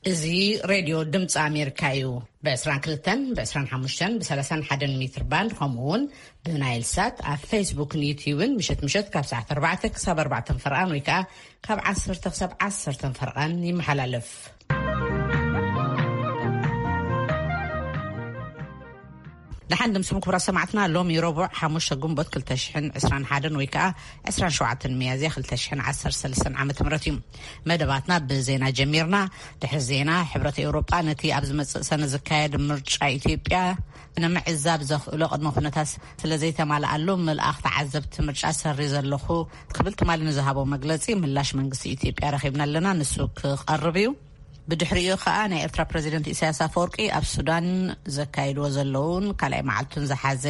እዚ ሬድዮ ድምፂ ኣሜሪካ እዩ። ብ22፣ ብ25፣ ብ31 ሜትር ባንድ፣ ከምኡ እውን ብናይል ሳት ኣብ ፌስቡክን ዩትዩብን ምሸት ምሸት ካብ ሰዓት ኣርባዕተ ክሳብ ኣርባዕተ ፈርቓን ወይ ከዓ ካብ ዓሰርተ ክሳብ ዓሰርተ ፈርቓን ይመሓላለፍ። ደሓን ድምስኩም ክቡራት ሰማዕትና፣ ሎሚ ረቡዕ ሓሙሽተ ግንቦት ክልተ ሽሕን ዕስራን ሓደን ወይ ከዓ ዕስራን ሸውዓተን ሚያዝያ ክልተ ሽሕን ዓሰርተ ሰለስተን ዓመተ ምህረት እዩ። መደባትና ብዜና ጀሚርና። ድሕሪ ዜና፣ ሕብረት ኤውሮጳ ነቲ ኣብ ዝመጽእ ሰነ ዝካየድ ምርጫ ኢትዮጵያ ንምዕዛብ ዘኽእሎ ቅድመ ኩነታት ስለ ዘይተማልኣሉ፣ ምልኣኽ ተዓዘብቲ ምርጫ ሰሪዘ ኣለኹ ክብል ትማሊ ንዝሃቦ መግለጺ ምላሽ መንግስቲ ኢትዮጵያ ረኺብና ኣለና። ንሱ ክቐርብ እዩ። ብድሕሪኡ ከኣ ናይ ኤርትራ ፕረዚደንት ኢሳያስ ኣፈወርቂ ኣብ ሱዳን ዘካይድዎ ዘለውን ካልኣይ መዓልቱን ዝሓዘ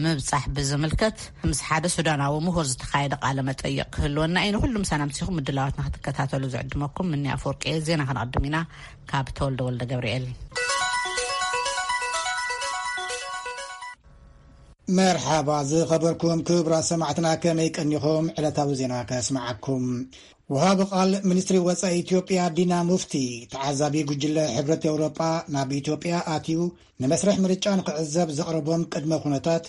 ምብጻሕ ብዝምልከት ምስ ሓደ ሱዳናዊ ምሁር ዝተኻየደ ቃለ መጠይቕ ክህልወና እዩ። ንኹሉ ምሳና ምሲኹም ምድላዋትና ክትከታተሉ ዝዕድመኩም ምኒ ኣፈወርቂ እየ። ዜና ክንቕድም ኢና ካብ ተወልደ ወልደ ገብርኤል። መርሓባ ዝኸበርኩም ክቡራት ሰማዕትና፣ ከመይ ቀኒኹም? ዕለታዊ ዜና ከስምዓኩም። ወሃቢ ቃል ሚኒስትሪ ወጻኢ ኢትዮጵያ ዲና ሙፍቲ፣ ተዓዛቢ ጉጅለ ሕብረት ኤውሮጳ ናብ ኢትዮጵያ ኣትዩ ንመስርሕ ምርጫ ንክዕዘብ ዘቕረቦም ቅድመ ኩነታት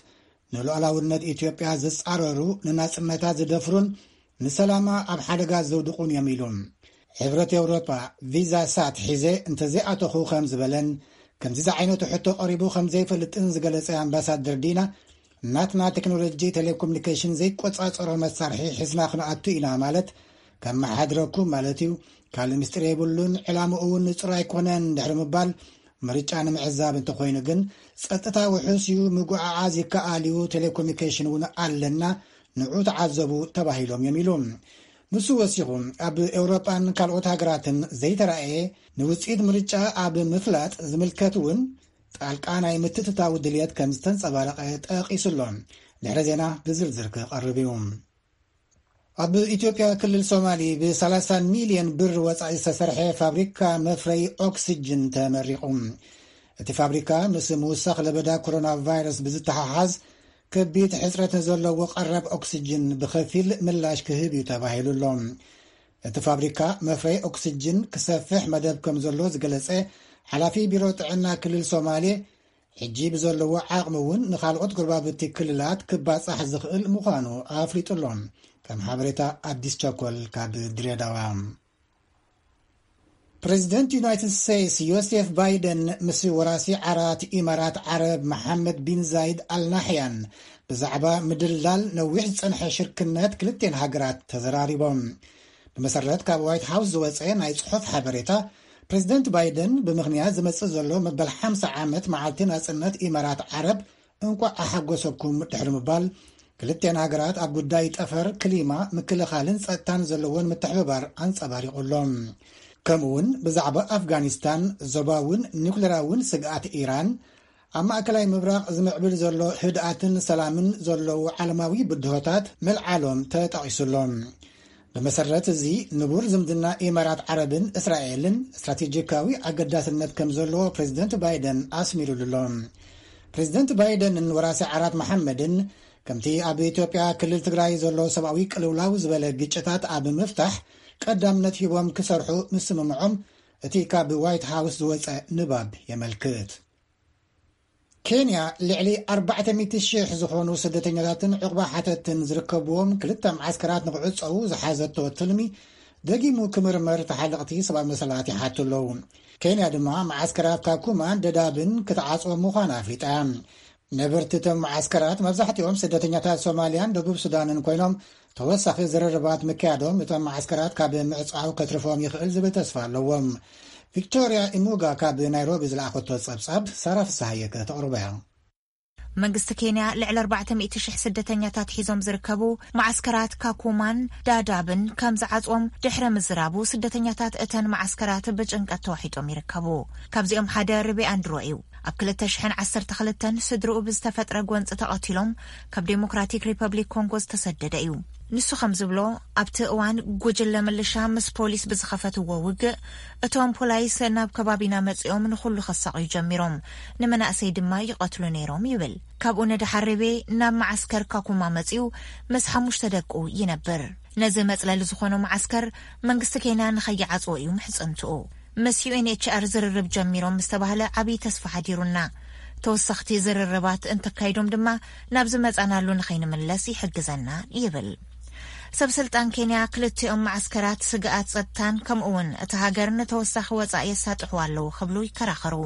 ንሉዓላውነት ኢትዮጵያ ዝጻረሩ፣ ንናጽነታ ዝደፍሩን ንሰላማ ኣብ ሓደጋ ዘውድቑን እዮም ኢሉ። ሕብረት ኤውሮጳ ቪዛ ሳት ሒዘ እንተዘይኣተኹ ከም ዝበለን ከምዚ ዝዓይነቱ ሕቶ ቀሪቡ ከም ዘይፈልጥን ዝገለጸ ኣምባሳደር ዲና፣ ናትና ቴክኖሎጂ ቴሌኮሙኒኬሽን ዘይቆጻጸሮ መሳርሒ ሒዝና ክንኣቱ ኢና ማለት ከመሓድረኩም ማለት እዩ። ካልእ ምስጢር የብሉን። ዕላምኡ እውን ንጹር ኣይኮነን ድሕሪ ምባል፣ ምርጫ ንምዕዛብ እንተኾይኑ ግን ጸጥታ ውሑስ እዩ፣ ምጉዓዓዝ ይከኣል እዩ፣ ቴሌኮሙኒኬሽን እውን ኣለና፣ ንዑ ተዓዘቡ ተባሂሎም እዮም ኢሉ። ንሱ ወሲኹ፣ ኣብ ኤውሮጳን ካልኦት ሃገራትን ዘይተራእየ ንውጽኢት ምርጫ ኣብ ምፍላጥ ዝምልከት እውን ጣልቃ ናይ ምትእትታው ድልየት ከም ዝተንጸባረቐ ጠቒሱ ኣሎ። ድሕሪ ዜና ብዝርዝር ክቐርብ እዩ። ኣብ ኢትዮጵያ ክልል ሶማሊ ብ30 ሚልዮን ብር ወጻኢ ዝተሰርሐ ፋብሪካ መፍረይ ኦክስጅን ተመሪቑ። እቲ ፋብሪካ ምስ ምውሳኽ ለበዳ ኮሮና ቫይረስ ብዝተሓሓዝ ከቢድ ሕጽረት ንዘለዎ ቀረብ ኦክስጅን ብኸፊል ምላሽ ክህብ እዩ ተባሂሉ ኣሎ። እቲ ፋብሪካ መፍረይ ኦክስጅን ክሰፍሕ መደብ ከም ዘሎ ዝገለጸ ሓላፊ ቢሮ ጥዕና ክልል ሶማሌ፣ ሕጂ ብዘለዎ ዓቕሚ እውን ንኻልኦት ጎረባብቲ ክልላት ክባጻሕ ዝኽእል ምዃኑ ኣፍሊጡ ኣሎ። ከም ሓበሬታ ኣዲስ ቸኮል ካብ ድሬዳዋ። ፕሬዚደንት ዩናይትድ ስቴትስ ዮሴፍ ባይደን ምስ ወራሲ ዓራት ኢማራት ዓረብ መሓመድ ቢን ዛይድ ኣልናሕያን ብዛዕባ ምድልዳል ነዊሕ ዝጸንሐ ሽርክነት ክልቴን ሃገራት ተዘራሪቦም። ብመሰረት ካብ ዋይት ሃውስ ዝወጸ ናይ ጽሑፍ ሓበሬታ፣ ፕሬዚደንት ባይደን ብምኽንያት ዝመጽእ ዘሎ መበል ሓምሳ ዓመት መዓልቲ ናጽነት ኢማራት ዓረብ እንቋዕ ኣሓጎሰኩም ድሕሪ ምባል፣ ክልቴን ሃገራት ኣብ ጉዳይ ጠፈር፣ ክሊማ፣ ምክልኻልን ጸጥታን ዘለዎን ምትሕብባር ኣንጸባሪቑ ኣሎ። ከምኡውን ብዛዕባ ኣፍጋኒስታን፣ ዞባውን ኒውክሌራውን ስግኣት ኢራን፣ ኣብ ማእከላይ ምብራቕ ዝምዕብል ዘሎ ህድኣትን ሰላምን ዘለዉ ዓለማዊ ብድሆታት ምልዓሎም ተጠቒሱ ኣሎ። ብመሰረት እዚ፣ ንቡር ዝምድና ኢማራት ዓረብን እስራኤልን ስትራቴጂካዊ ኣገዳስነት ከም ዘለዎ ፕሬዚደንት ባይደን ኣስሚሩሉ ኣሎ። ፕሬዚደንት ባይደንን ወራሲ ዓራት መሓመድን፣ ከምቲ ኣብ ኢትዮጵያ ክልል ትግራይ ዘሎ ሰብኣዊ ቅልውላው ዝበለ ግጭታት ኣብ ምፍታሕ ቀዳምነት ሂቦም ክሰርሑ ምስምምዖም እቲ ካብ ዋይት ሃውስ ዝወጸ ንባብ የመልክት። ኬንያ ልዕሊ ኣርባዕተ ሚእቲ ሽሕ ዝኾኑ ስደተኛታትን ዕቑባ ሓተትን ዝርከብዎም ክልተ መዓስከራት ንክዕጸዉ ዝሓዘቶ ትልሚ ደጊሙ ክምርመር ተሓለቕቲ ሰብኣዊ መሰላት ይሓቱ ኣለዉ። ኬንያ ድማ መዓስከራት ካኩማን ደዳብን ክትዓጽዎ ምዃና ኣፍሊጣ። ነበርቲ እቶም መዓስከራት መብዛሕትኦም ስደተኛታት ሶማልያን ደቡብ ሱዳንን ኮይኖም፣ ተወሳኺ ዝርርባት ምክያዶም እቶም መዓስከራት ካብ ምዕጻው ከትርፎም ይኽእል ዝብል ተስፋ ኣለዎም። ቪክቶርያ ኢሙጋ ካብ ናይሮቢ ዝለኣኸቶ ጸብጻብ ሳራ ፍስሃየ ከተቕርቦ እያ። መንግስቲ ኬንያ ልዕሊ ኣርባዕተ ሚእቲ ሽሕ ስደተኛታት ሒዞም ዝርከቡ መዓስከራት ካኩማን ዳዳብን ከም ዝዓጽዎም ድሕሪ ምዝራቡ፣ ስደተኛታት እተን መዓስከራት ብጭንቀት ተዋሒጦም ይርከቡ። ካብዚኦም ሓደ ርቤ ኣንድሮ እዩ። ኣብ ክልተ ሽሕን ዓሰርተ ክልተን ስድርኡ ብዝተፈጥረ ጎንጺ ተቐቲሎም ካብ ዴሞክራቲክ ሪፐብሊክ ኮንጎ ዝተሰደደ እዩ። ንሱ ከም ዝብሎ፣ ኣብቲ እዋን ጉጅለ ምልሻ ምስ ፖሊስ ብዝኸፈትዎ ውግእ፣ እቶም ፖላይስ ናብ ከባቢና መጺኦም ንኹሉ ከሳቕዩ ጀሚሮም፣ ንመናእሰይ ድማ ይቐትሉ ነይሮም ይብል። ካብኡ ንደሓር ርቤ ናብ መዓስከር ካኩማ መጺኡ ምስ ሓሙሽተ ደቁ ይነብር። ነዚ መጽለሊ ዝኾኖ መዓስከር መንግስቲ ኬንያ ንኸይዓጽዎ እዩ ምሕጽንትኡ። ምስ ዩ ኤን ኤች ኣር ዝርርብ ጀሚሮም ዝተባህለ ዓብዪ ተስፋ ሓዲሩና። ተወሰኽቲ ዝርርባት እንተካይዶም ድማ ናብ ዝመጻናሉ ንኸይንምለስ ይሕግዘና ይብል። ሰብ ስልጣን ኬንያ ክልቲኦም መዓስከራት ስግኣት ጸጥታን ከምኡ እውን እቲ ሃገር ንተወሳኺ ወጻኢ የሳጥሑ ኣለዉ ክብሉ ይከራኸሩ።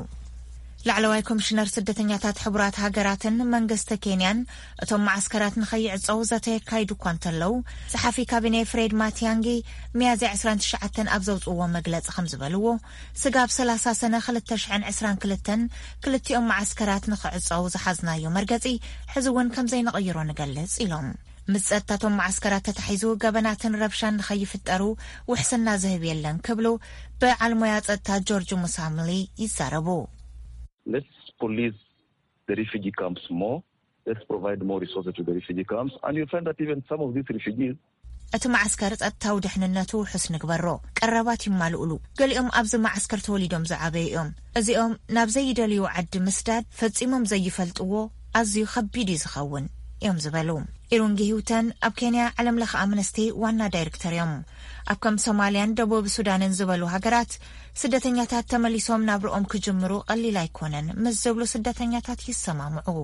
ላዕለዋይ ኮሚሽነር ስደተኛታት ሕቡራት ሃገራትን መንግስቲ ኬንያን እቶም መዓስከራት ንኸይዕጸው ዘተ የካይዱ እኳ እንተለዉ፣ ጸሓፊ ካቢኔ ፍሬድ ማቲያንጊ ሚያዝያ ዕስራን ትሽዓተን ኣብ ዘውጽእዎ መግለጺ ከም ዝበልዎ፣ ስጋብ ሰላሳ ሰነ ክልተ ሽሕን ዕስራን ክልተን ክልቲኦም መዓስከራት ንኽዕጸው ዝሓዝናዮ መርገጺ ሕዚ እውን ከም ዘይንቕይሮ ንገልጽ ኢሎም። ምስ ጸጥታቶም መዓስከራት ተታሒዙ ገበናትን ረብሻን ንኸይፍጠሩ ውሕስና ዝህብ የለን ክብሉ በዓል ሞያ ጸጥታ ጆርጅ ሙሳምሊ ይዛረቡ። Let's police the refugee camps more. Let's provide more resources to the refugee camps. And you'll find that even some of these refugees እቲ መዓስከር ጸጥታዊ ድሕንነቱ ውሑስ ንግበሮ፣ ቀረባት ይማልኡሉ። ገሊኦም ኣብዚ መዓስከር ተወሊዶም ዝዓበዩ እዮም። እዚኦም ናብ ዘይደልዩ ዓዲ ምስዳድ ፈጺሞም ዘይፈልጥዎ ኣዝዩ ከቢድ እዩ ዝኸውን እዮም ዝበሉ። ኢሩንጊ ሂውተን ኣብ ኬንያ ዓለም ለኸ ኣምነስቲ ዋና ዳይሬክተር እዮም። ኣብ ከም ሶማልያን ደቡብ ሱዳንን ዝበሉ ሃገራት ስደተኛታት ተመሊሶም ናብርኦም ክጅምሩ ቀሊል ኣይኮነን ምስ ዝብሉ ስደተኛታት ይሰማምዑ።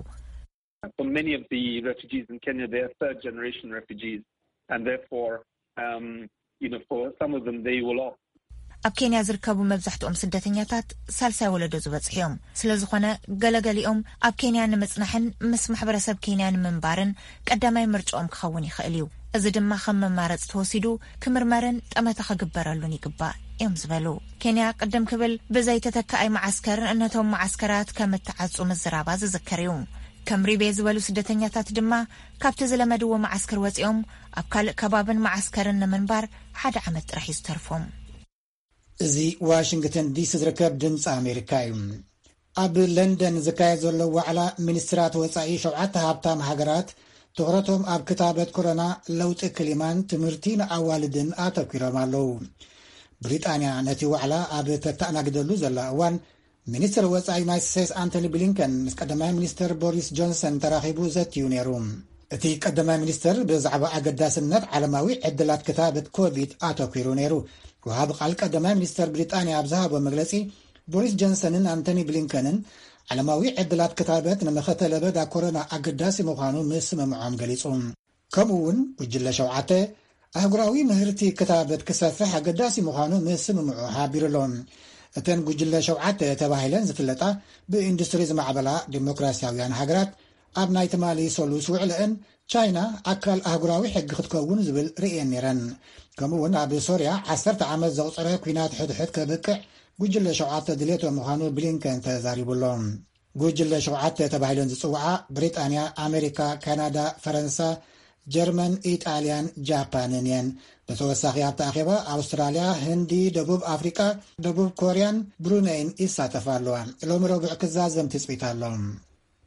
For many of the refugees in Kenya, they are third generation refugees, and therefore, um, you know, for some of them, they will opt ኣብ ኬንያ ዝርከቡ መብዛሕትኦም ስደተኛታት ሳልሳይ ወለዶ ዝበጽሑ እዮም። ስለ ዝኾነ ገለገሊኦም ኣብ ኬንያ ንምጽናሕን ምስ ማሕበረሰብ ኬንያ ንምንባርን ቀዳማይ ምርጫኦም ክኸውን ይኽእል እዩ። እዚ ድማ ከም መማረጽ ተወሲዱ ክምርመርን ጠመተ ክግበረሉን ይግባእ እዮም ዝበሉ። ኬንያ ቅድም ክብል ብዘይተተካኣይ መዓስከር ነቶም መዓስከራት ከም እትዓጹ ምዝራባ ዝዝከር እዩ። ከም ሪቤ ዝበሉ ስደተኛታት ድማ ካብቲ ዝለመድዎ መዓስከር ወጺኦም ኣብ ካልእ ከባብን መዓስከርን ንምንባር ሓደ ዓመት ጥራሕ እዩ ዝተርፎም። እዚ ዋሽንግተን ዲሲ ዝርከብ ድምፂ ኣሜሪካ እዩ። ኣብ ለንደን ዝካየድ ዘሎ ዋዕላ ሚኒስትራት ወፃኢ ሸውዓተ ሃብታም ሃገራት ትኹረቶም ኣብ ክታበት ኮሮና፣ ለውጢ ክሊማን ትምህርቲ ንኣዋልድን ኣተኲሮም ኣለዉ። ብሪጣንያ ነቲ ዋዕላ ኣብ ተተኣናግደሉ ዘላ እዋን፣ ሚኒስትር ወፃኢ ዩናይትድ ስቴትስ ኣንቶኒ ብሊንከን ምስ ቀዳማይ ሚኒስትር ቦሪስ ጆንሰን ተራኺቡ ዘትዩ ነይሩ። እቲ ቀዳማይ ሚኒስትር ብዛዕባ ኣገዳስነት ዓለማዊ ዕድላት ክታበት ኮቪድ ኣተኲሩ ነይሩ። ወሃቢ ቃል ቀዳማይ ሚኒስትር ብሪጣንያ ኣብ ዝሃቦ መግለጺ፣ ቦሪስ ጆንሰንን ኣንቶኒ ብሊንከንን ዓለማዊ ዕድላት ክታበት ንመኸተ ለበዳ ኮሮና ኣገዳሲ ምዃኑ ምስምምዖም ገሊጹ። ከምኡ እውን ጉጅለ ሸውዓተ ኣህጉራዊ ምህርቲ ክታበት ክሰፍሕ ኣገዳሲ ምዃኑ ምስምምዑ ሓቢሩ ኣሎ። እተን ጉጅለ ሸውዓተ ተባሂለን ዝፍለጣ ብኢንዱስትሪ ዝማዕበላ ዲሞክራሲያውያን ሃገራት ኣብ ናይ ትማሊ ሰሉስ ውዕለአን ቻይና ኣካል ኣህጉራዊ ሕጊ ክትከውን ዝብል ርእየን ነይረን። ከምኡ እውን ኣብ ሶርያ ዓሰርተ ዓመት ዘቑፀረ ኲናት ሕድሕድ ከብቅዕ ጉጅለ ሸውዓተ ድሌቶ ምዃኑ ብሊንከን ተዛሪቡ ኣሎ። ጉጅለ ሸውዓተ ተባሂለን ዝፅውዓ ብሪጣንያ፣ ኣሜሪካ፣ ካናዳ፣ ፈረንሳ፣ ጀርመን፣ ኢጣልያን ጃፓንን እየን። ብተወሳኺ ኣብቲ ኣኼባ ኣውስትራልያ፣ ህንዲ፣ ደቡብ ኣፍሪቃ፣ ደቡብ ኮርያን ብሩነይን ይሳተፋ ኣለዋ። ሎሚ ረቡዕ ክዛዘም ትፅቢት ኣሎ።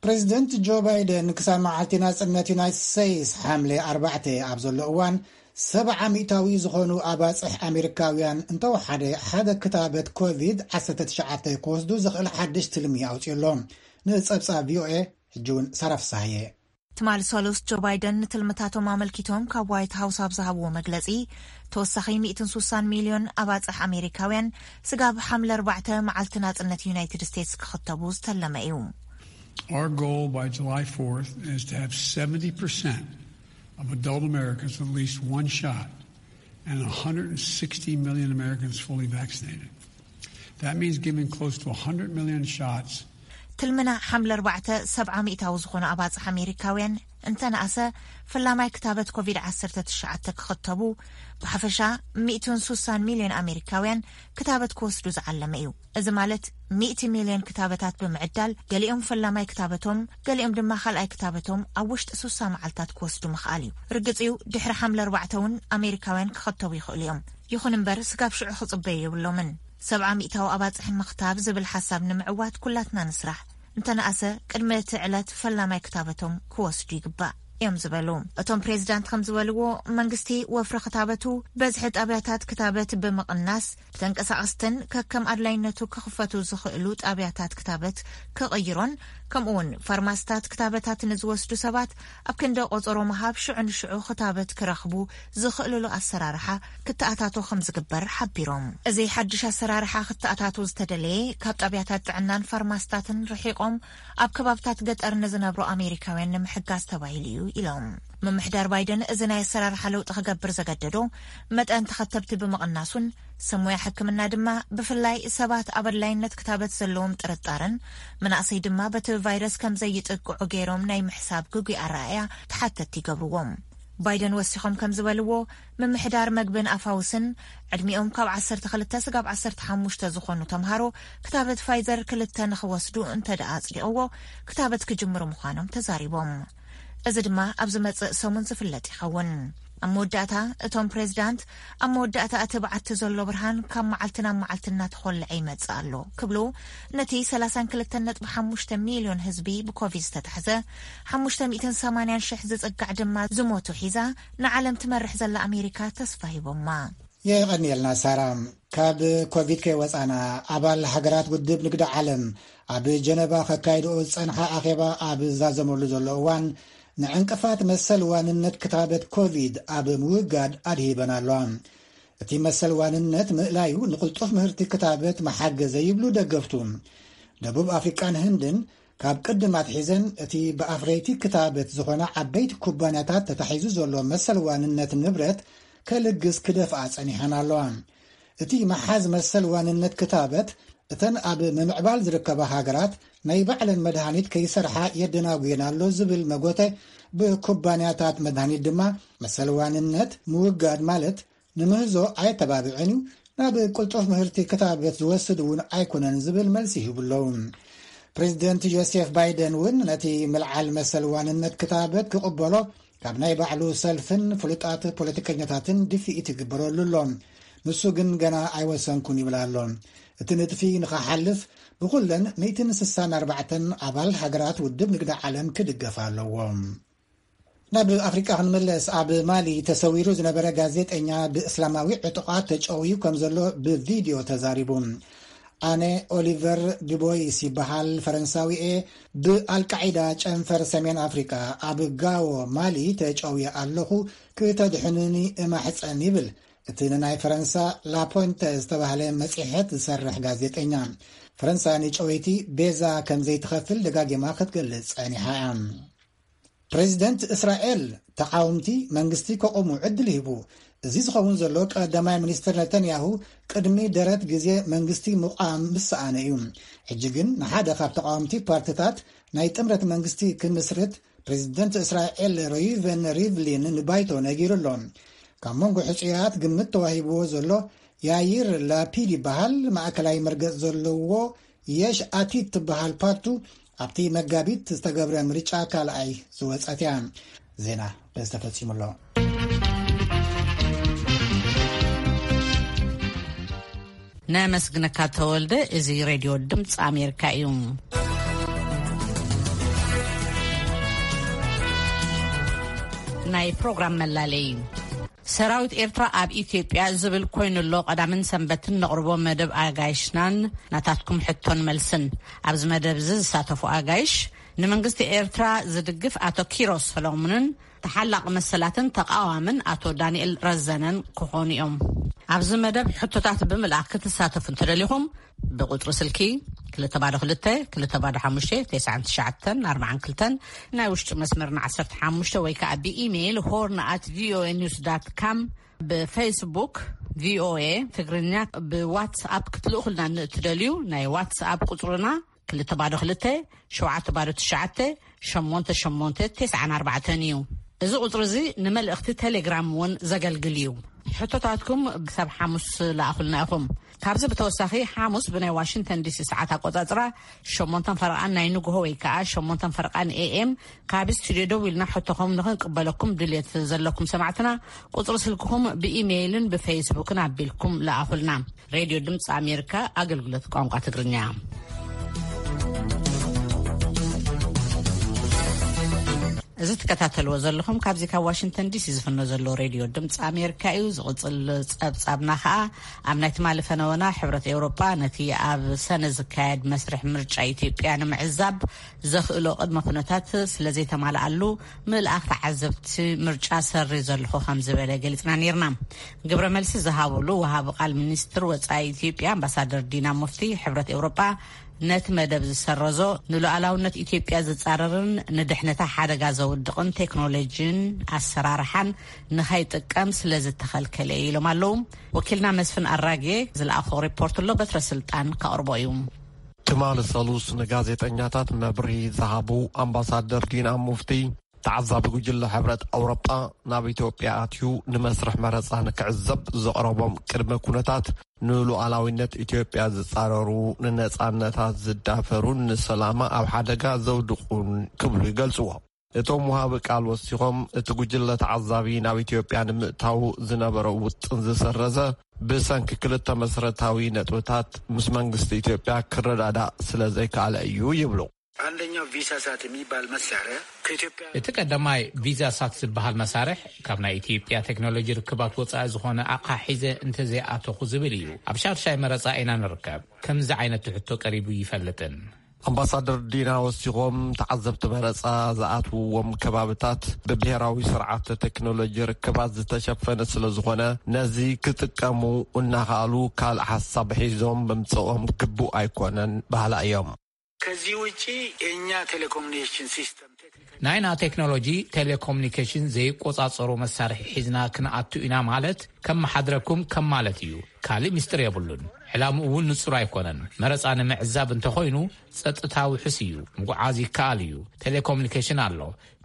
ፕሬዚደንት ጆ ባይደን ክሳብ መዓልቲ ናፅነት ዩናይትድ ስቴትስ ሓምለ ኣርባዕተ ኣብ ዘሎ እዋን ሰብዓ ሚእታዊ ዝኾኑ ኣባፅሕ ኣሜሪካውያን እንተወሓደ ሓደ ክታበት ኮቪድ ዓሰርተ ትሽዓተ ክወስዱ ዝኽእል ሓድሽ ትልሚ ኣውፅኡ ኣሎ። ንፀብፃብ ቪኦኤ ሕጂ እውን ሳራ ፍሳሃየ። ትማሊ ሰሉስ ጆ ባይደን ንትልምታቶም ኣመልኪቶም ካብ ዋይት ሃውስ ኣብ ዝሃብዎ መግለፂ፣ ተወሳኺ ሚእትን ሱሳን ሚልዮን ኣባፅሕ ኣሜሪካውያን ስጋብ ሓምለ ኣርባዕተ መዓልቲ ናፅነት ዩናይትድ ስቴትስ ክኽተቡ ዝተለመ እዩ። Our goal by July fourth is to have seventy percent of adult Americans with at least one shot and one hundred sixty million Americans fully vaccinated. That means giving close to one hundred million shots. ትልምና ሓምለ ኣርባዕተ ሰብዓ ሚእታዊ ዝኾኑ ኣባፅሕ ኣሜሪካውያን እንተነኣሰ ፈላማይ ክታበት ኮቪድ ዓሰርተ ትሽዓተ ክኽተቡ፣ ብሓፈሻ ሚእትን ሱሳን ሚልዮን ኣሜሪካውያን ክታበት ክወስዱ ዝዓለመ እዩ። እዚ ማለት ሚእቲ ሚልዮን ክታበታት ብምዕዳል፣ ገሊኦም ፈላማይ ክታበቶም፣ ገሊኦም ድማ ካልኣይ ክታበቶም ኣብ ውሽጢ ሱሳ መዓልታት ክወስዱ ምኽኣል እዩ። ርግጽ እዩ፣ ድሕሪ ሓምለ ኣርባዕተ እውን ኣሜሪካውያን ክኸተቡ ይኽእሉ እዮም። ይኹን እምበር፣ ስጋብ ሽዑ ክጽበዩ የብሎምን። ሰብዓ ሚእታዊ ኣባጽሒ ምኽታብ ዝብል ሓሳብ ንምዕዋት ኩላትና ንስራሕ። እንተነኣሰ፣ ቅድሚ እቲ ዕለት ፈላማይ ክታበቶም ክወስዱ ይግባእ እዮም ዝበሉ። እቶም ፕሬዚዳንት ከም ዝበልዎ፣ መንግስቲ ወፍሪ ክታበቱ በዝሒ ጣብያታት ክታበት ብምቕናስ፣ ተንቀሳቐስትን ከከም ኣድላይነቱ ክኽፈቱ ዝኽእሉ ጣብያታት ክታበት ክቕይሮን ከምኡ እውን ፋርማስታት ክታበታት ንዝወስዱ ሰባት ኣብ ክንዲ ቆጸሮ ምሃብ ሽዑ ንሽዑ ክታበት ክረኽቡ ዝኽእልሉ ኣሰራርሓ ክተኣታቶ ከም ዝግበር ሓቢሮም። እዚ ሓድሽ ኣሰራርሓ ክተኣታቶ ዝተደለየ ካብ ጣብያታት ጥዕናን ፋርማስታትን ርሒቆም ኣብ ከባብታት ገጠር ንዝነብሩ ኣሜሪካውያን ንምሕጋዝ ተባሂሉ እዩ ኢሎም። ምምሕዳር ባይደን እዚ ናይ ኣሰራርሓ ለውጢ ክገብር ዘገደዶ መጠን ተኸተብቲ ብምቕናሱን ሰብ ሞያ ሕክምና ድማ ብፍላይ ሰባት ኣብ ኣድላይነት ክታበት ዘለዎም ጥርጣረን መናእሰይ ድማ በቲ ቫይረስ ከም ዘይጥቅዑ ገይሮም ናይ ምሕሳብ ግጉይ ኣረኣእያ ተሓተትቲ ይገብርዎም። ባይደን ወሲኾም ከም ዝበልዎ፣ ምምሕዳር መግብን ኣፋውስን ዕድሚኦም ካብ ዓሰርተ ክልተ ስጋብ ዓሰርተ ሓሙሽተ ዝኾኑ ተምሃሮ ክታበት ፋይዘር ክልተ ንኽወስዱ እንተ ደኣ ኣጽዲቕዎ፣ ክታበት ክጅምሩ ምዃኖም ተዛሪቦም። እዚ ድማ ኣብ ዝመጽእ ሰሙን ዝፍለጥ ይኸውን። ኣብ መወዳእታ፣ እቶም ፕሬዝዳንት፣ ኣብ መወዳእታ እቲ ብዓቲ ዘሎ ብርሃን ካብ መዓልቲ ናብ መዓልቲ እናተኾልዐ ይመጽእ ኣሎ ክብሉ፣ ነቲ ሰላሳን ክልተን ነጥቢ ሓሙሽተ ሚልዮን ህዝቢ ብኮቪድ ዝተታሕዘ፣ ሓሙሽተ ሚእትን ሰማንያን ሽሕ ዝጽጋዕ ድማ ዝሞቱ ሒዛ ንዓለም ትመርሕ ዘላ ኣሜሪካ ተስፋ ሂቦማ። የቐንየልና ሳራ። ካብ ኮቪድ ከይወጻና፣ ኣባል ሃገራት ውድብ ንግዲ ዓለም ኣብ ጀነቫ ከካይድኦ ዝጸንሓ ኣኼባ ኣብ ዝዛዘመሉ ዘሎ እዋን፣ ንዕንቅፋት መሰል ዋንነት ክታበት ኮቪድ ኣብ ምውጋድ ኣድሂበን ኣለዋ። እቲ መሰል ዋንነት ምእላዩ ንቕልጡፍ ምህርቲ ክታበት መሓገዘ ይብሉ ደገፍቱ። ደቡብ ኣፍሪቃን ህንድን ካብ ቅድም ኣትሒዘን እቲ ብኣፍረይቲ ክታበት ዝኾና ዓበይቲ ኩባንያታት ተታሒዙ ዘሎ መሰል ዋንነት ንብረት ከልግስ ክደፍኣ ጸኒሐን ኣለዋ። እቲ መሓዝ መሰል ዋንነት ክታበት እተን ኣብ ምምዕባል ዝርከባ ሃገራት ናይ ባዕለን መድሃኒት ከይሰርሓ የደናጉየን ኣሎ ዝብል መጎተ፣ ብኩባንያታት መድሃኒት ድማ መሰል ዋንነት ምውጋድ ማለት ንምህዞ ኣየተባብዕን እዩ፣ ናብ ቅልጡፍ ምህርቲ ክታበት ዝወስድ እውን ኣይኮነን ዝብል መልሲ ይህቡ ኣለዉ። ፕሬዚደንት ጆሴፍ ባይደን እውን ነቲ ምልዓል መሰል ዋንነት ክታበት ክቕበሎ ካብ ናይ ባዕሉ ሰልፍን ፍሉጣት ፖለቲከኛታትን ድፍኢት ይግበረሉ ኣሎ። ንሱ ግን ገና ኣይወሰንኩን ይብል ኣሎ። እቲ ንጥፊ ንኸሓልፍ ብኹለን ሚእትን ስሳን ኣርባዕተን ኣባል ሃገራት ውድብ ንግዲ ዓለም ክድገፍ ኣለዎ። ናብ ኣፍሪቃ ክንምለስ፣ ኣብ ማሊ ተሰዊሩ ዝነበረ ጋዜጠኛ ብእስላማዊ ዕጡቓት ተጨውዩ ከም ዘሎ ብቪድዮ ተዛሪቡ። ኣነ ኦሊቨር ዱቦይስ ይበሃል፣ ፈረንሳዊ እየ። ብኣልቃዒዳ ጨንፈር ሰሜን ኣፍሪቃ ኣብ ጋዎ ማሊ ተጨውየ ኣለኹ፣ ክተድሕኑኒ እማሕጸን ይብል እቲ ንናይ ፈረንሳ ላፖንተ ዝተባህለ መጽሔት ዝሰርሕ ጋዜጠኛ። ፈረንሳ ንጨወይቲ ቤዛ ከም ዘይትኸፍል ደጋጊማ ክትገልጽ ጸኒሓ እያ። ፕሬዚደንት እስራኤል ተቓወምቲ መንግስቲ ከቑሙ ዕድል ሂቡ። እዚ ዝኸውን ዘሎ ቀዳማይ ሚኒስትር ነተንያሁ ቅድሚ ደረት ግዜ መንግስቲ ምቋም ምስ ሰኣነ እዩ። ሕጂ ግን ንሓደ ካብ ተቓወምቲ ፓርትታት ናይ ጥምረት መንግስቲ ክምስርት ፕሬዚደንት እስራኤል ሮይቨን ሪቭሊን ንባይቶ ነጊሩ ኣሎ። ካብ መንጎ ሕጹያት ግምት ተዋሂብዎ ዘሎ ያይር ላፒድ ይበሃል። ማእከላይ መርገጽ ዘለዎ የሽ ኣቲድ ትበሃል ፓርቱ ኣብቲ መጋቢት ዝተገብረ ምርጫ ካልኣይ ዝወጸት እያ። ዜና በዚ ተፈጺሙ ኣሎ። ነመስግነካ ተወልደ። እዚ ሬድዮ ድምፂ ኣሜሪካ እዩ። ናይ ፕሮግራም መላለይ። ሰራዊት ኤርትራ ኣብ ኢትዮጵያ ዝብል ኮይኑ ኣሎ። ቀዳምን ሰንበትን ነቕርቦ መደብ ኣጋይሽናን ናታትኩም ሕቶን መልስን። ኣብዚ መደብ እዚ ዝሳተፉ ኣጋይሽ፣ ንመንግስቲ ኤርትራ ዝድግፍ ኣቶ ኪሮስ ሰሎሙንን ተሓላቒ መሰላትን ተቓዋምን ኣቶ ዳንኤል ረዘነን ክኾኑ እዮም። ኣብዚ መደብ ሕቶታት ብምልኣኽ ክትሳተፉ እንተደሊኹም፣ ብቁጽሪ ስልኪ ክልተ ባዶ ክልተ፣ ክልተ ባዶ ሓሙሽተ፣ ተስዓን ትሽዓተን ኣርባዓን ክልተን፣ ናይ ውሽጢ መስመርና ዓሰርተ ሓሙሽተ፣ ወይ ከኣ ብኢሜይል ሆርን ኣት ቪኦኤ ኒውስ ዳት ካም፣ ብፌስቡክ ቪኦኤ ትግርኛ፣ ብዋትስኣፕ ክትልእኹልና ንእትደልዩ፣ ናይ ዋትስኣፕ ቁጽርና ክልተ ባዶ ክልተ፣ ሸውዓተ ባዶ ትሽዓተ፣ ሸሞንተ ሸሞንተ፣ ተስዓን ኣርባዕተን እዩ። እዚ ቁጽሪ እዚ ንመልእኽቲ ቴሌግራም እውን ዘገልግል እዩ። ሕቶታትኩም ክሳብ ሓሙስ ለኣኹልና ኢኹም። ካብዚ ብተወሳኺ፣ ሓሙስ ብናይ ዋሽንግተን ዲሲ ሰዓት ኣቆጻጽራ፣ ሸሞንተን ፈረቓን ናይ ንግሆ ወይ ከኣ ሸሞንተን ፈረቓን ኤ ኤም፣ ካብ ስቱድዮ ደው ኢልና ሕቶኹም ንኽንቅበለኩም ድልየት ዘለኩም ሰማዕትና፣ ቁጽሪ ስልክኹም ብኢሜይልን ብፌስቡክን ኣቢልኩም ለኣኹልና። ሬድዮ ድምፂ ኣሜሪካ፣ ኣገልግሎት ቋንቋ ትግርኛ። እዚ ትከታተልዎ ዘለኹም ካብዚ ካብ ዋሽንግተን ዲሲ ዝፍኖ ዘሎ ሬድዮ ድምፂ ኣሜሪካ እዩ። ዝቕፅል ፀብፃብና ከዓ ኣብ ናይ ትማሊ ፈነወና ሕብረት ኤውሮጳ ነቲ ኣብ ሰነ ዝካየድ መስርሕ ምርጫ ኢትዮጵያ ንምዕዛብ ዘኽእሎ ቅድመ ኩነታት ስለ ዘይተማልኣሉ ምልኣኽ ተዓዘብቲ ምርጫ ሰሪ ዘለኹ ከም ዝበለ ገሊፅና ነይርና። ግብረ መልሲ ዝሃብሉ ወሃቢ ቃል ሚኒስትር ወፃኢ ኢትዮጵያ ኣምባሳደር ዲና ሙፍቲ ሕብረት ኤውሮጳ ነቲ መደብ ዝሰረዞ ንሉዓላውነት ኢትዮጵያ ዝጻረርን ንድሕነታ ሓደጋ ዘውድቕን ቴክኖሎጂን ኣሰራርሓን ንኸይጥቀም ስለ ዝተኸልከለ እዩ ኢሎም ኣለዉ። ወኪልና መስፍን ኣራጌ ዝለኣኾ ሪፖርት ኣሎ፣ በትረ ስልጣን ከቕርቦ እዩ። ትማሊ ሰሉስ ንጋዜጠኛታት መብርሂ ዝሃቡ ኣምባሳደር ዲና ሙፍቲ፣ ተዓዛቢ ጉጅለ ሕብረት ኣውሮጳ ናብ ኢትዮጵያ ኣትዩ ንመስርሕ መረጻ ንክዕዘብ ዘቕረቦም ቅድመ ኩነታት ንሉዓላዊነት ኢትዮጵያ ዝጻረሩ፣ ንነጻነታት ዝዳፈሩን ንሰላማ ኣብ ሓደጋ ዘውድቑን ክብሉ ይገልጽዎ። እቶም ወሃቢ ቃል ወሲኾም፣ እቲ ጉጅለ ተዓዛቢ ናብ ኢትዮጵያ ንምእታው ዝነበረ ውጥን ዝሰረዘ ብሰንኪ ክልተ መሰረታዊ ነጥብታት ምስ መንግስቲ ኢትዮጵያ ክረዳዳእ ስለ ዘይከኣለ እዩ ይብሉ። አንደኛው ቪሳ ሳት የሚባል መሳሪያ ከኢትዮጵያ እቲ ቀዳማይ ቪዛ ሳት ዝበሃል መሳርሕ ካብ ናይ ኢትዮጵያ ቴክኖሎጂ ርክባት ወፃኢ ዝኾነ ኣቕሓ ሒዘ እንተዘይኣተኹ ዝብል እዩ። ኣብ ሻድሻይ መረፃ ኢና ንርከብ። ከምዚ ዓይነት ትሕቶ ቀሪቡ ይፈልጥን። ኣምባሳደር ዲና ወሲኾም፣ ተዓዘብቲ መረፃ ዝኣትውዎም ከባብታት ብብሄራዊ ስርዓተ ቴክኖሎጂ ርክባት ዝተሸፈነ ስለ ዝኾነ ነዚ ክጥቀሙ እናኸኣሉ ካልእ ሓሳብ ሒዞም ምምፅኦም ግቡእ ኣይኮነን በሃላ እዮም። ከዚህ ውጪ የእኛ ቴሌኮሙኒኬሽን ሲስተም ቴክኒካል ናይና ቴክኖሎጂ ቴሌኮሙኒኬሽን ዘይቆጻጸሮ መሳርሒ ሒዝና ክንኣቱ ኢና ማለት ከመሓድረኩም ከም ማለት እዩ። ካልእ ምስጢር የብሉን። ዕላምኡ እውን ንጹር ኣይኮነን። መረጻ ንምዕዛብ እንተኾይኑ ጸጥታ ውሑስ እዩ። ምጉዓዝ ይከኣል እዩ። ቴሌኮሙኒኬሽን ኣሎ።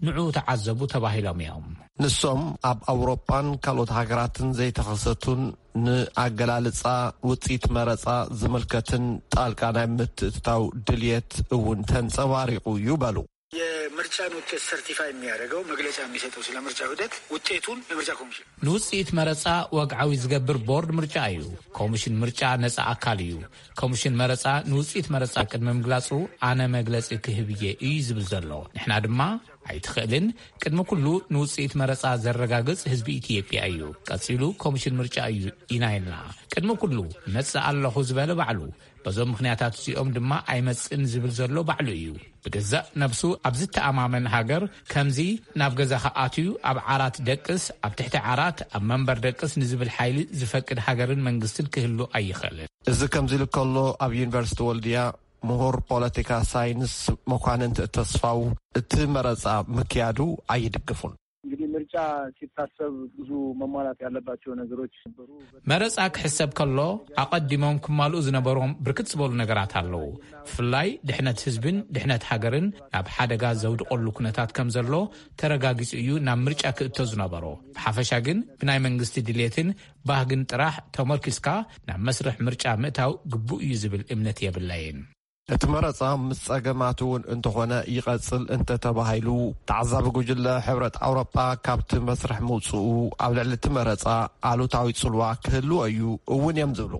ንዑ ተዓዘቡ ተባሂሎም እዮም። ንሶም ኣብ ኣውሮጳን ካልኦት ሃገራትን ዘይተኸሰቱን ንኣገላልጻ ውጽኢት መረጻ ዝምልከትን ጣልቃ ናይ ምትእትታው ድልየት እውን ተንጸባሪቑ እዩ በሉ። የምርጫን ውጤት ሰርቲፋይ የሚያደርገው መግለጫ የሚሰጠው ስለ ምርጫ ሂደት ውጤቱን የምርጫ ኮሚሽን ንውጽኢት መረጻ ወግዓዊ ዝገብር ቦርድ ምርጫ እዩ። ኮሚሽን ምርጫ ነጻ ኣካል እዩ። ኮሚሽን መረጻ ንውጽኢት መረጻ ቅድሚ ምግላጹ ኣነ መግለጺ ክህብ እየ እዩ ዝብል ዘሎ። ንሕና ድማ ኣይትኽእልን፣ ቅድሚ ኩሉ ንውጽኢት መረጻ ዘረጋግጽ ህዝቢ ኢትዮጵያ እዩ። ቀጺሉ ኮሚሽን ምርጫ እዩ ኢና ኢልና። ቅድሚ ኩሉ መጽእ ኣለኹ ዝበለ ባዕሉ። በዞም ምኽንያታት እዚኦም ድማ ኣይመጽእን ዝብል ዘሎ ባዕሉ እዩ። ብገዛእ ነብሱ ኣብ ዝተኣማመን ሃገር ከምዚ ናብ ገዛኻ ኣትዩ ኣብ ዓራት ደቅስ፣ ኣብ ትሕቲ ዓራት፣ ኣብ መንበር ደቅስ ንዝብል ሓይሊ ዝፈቅድ ሃገርን መንግስትን ክህሉ ኣይኽእልን። እዚ ከምዚ ኢሉ ከሎ ኣብ ዩኒቨርሲቲ ወልድያ ምሁር ፖለቲካ ሳይንስ መኳንንት ተስፋው እቲ መረጻ ምክያዱ ኣይድግፉን። እንግዲህ ምርጫ ሲታሰብ ብዙ መሟላት ያለባቸው ነገሮች ነበሩ። መረጻ ክሕሰብ ከሎ ኣቐዲሞም ክማልኡ ዝነበሮም ብርክት ዝበሉ ነገራት ኣለዉ። ብፍላይ ድሕነት ህዝብን ድሕነት ሃገርን ናብ ሓደጋ ዘውድቐሉ ኩነታት ከም ዘሎ ተረጋጊጹ እዩ ናብ ምርጫ ክእቶ ዝነበሮ። ብሓፈሻ ግን ብናይ መንግስቲ ድሌትን ባህግን ጥራሕ ተመርኪስካ ናብ መስርሕ ምርጫ ምእታው ግቡእ እዩ ዝብል እምነት የብለይን። እቲ መረጻ ምስ ጸገማት እውን እንተኾነ ይቐጽል እንተተባሂሉ፣ ተዓዛቢ ጉጅለ ሕብረት ኣውሮጳ ካብቲ መስርሕ ምውጽኡ ኣብ ልዕሊ እቲ መረጻ ኣሉታዊ ጽልዋ ክህልዎ እዩ እውን እዮም ዝብሉ።